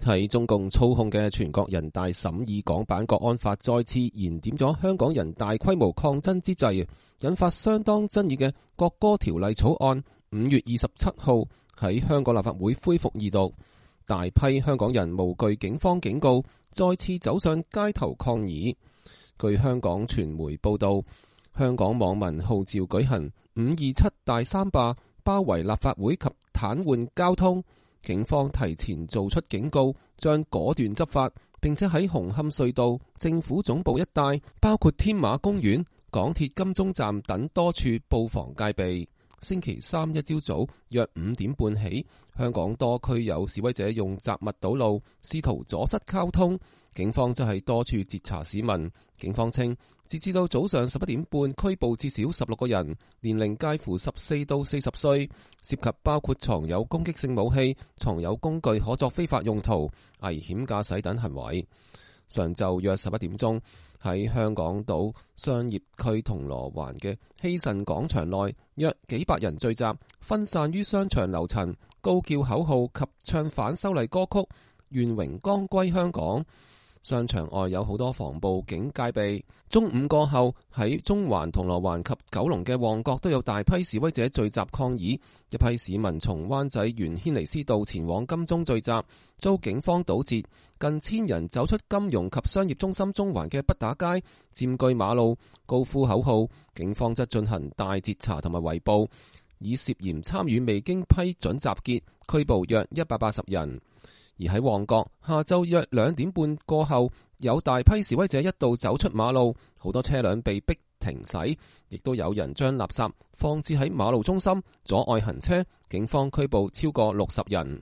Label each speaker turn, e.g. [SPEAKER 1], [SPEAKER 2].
[SPEAKER 1] 喺中共操控嘅全國人大審議港版國安法再次燃點咗香港人大規模抗爭之際，引發相當爭議嘅國歌條例草案5月27號喺香港立法會恢復二讀，大批香港人無懼警方警告，再次走上街頭抗議。據香港傳媒報道，香港網民號召舉行527大三罷，包圍立法會及癱瘓交通。警方提前做出警告，將果斷執法，並且喺紅磡隧道、政府總部一帶，包括添馬公園、港鐵金鐘站等多處布防戒備。星期三一朝早約5點半起，香港多區有示威者用雜物堵路，試圖阻塞交通。警方則係多處截查市民。警方稱，截至到早上11點半，拘捕至少16個人，年齡介乎14到40歲，涉及包括藏有攻擊性武器、藏有工具可作非法用途、危險駕駛等行為。上晝約11點鐘，喺香港島商業區銅鑼灣嘅希慎廣場內，約幾百人聚集，分散於商場樓層，高叫口號及唱反修例歌曲《願榮光歸香港》。商場外有好多防暴警戒備。中午過後，喺中環、銅鑼灣及九龍嘅旺角都有大批示威者聚集抗議。一批市民從灣仔沿軒尼詩道前往金鐘聚集，遭警方堵截。近千人走出金融及商業中心中環嘅畢打街，佔據馬路，高呼口號。警方則進行大截查同埋圍捕，以涉嫌參與未經批准集結，拘捕約180人。而喺旺角，下晝約2點半過後，有大批示威者一度走出馬路，好多車輛被逼停駛，亦都有人將垃圾放置喺馬路中心，阻礙行車。警方拘捕超過60人。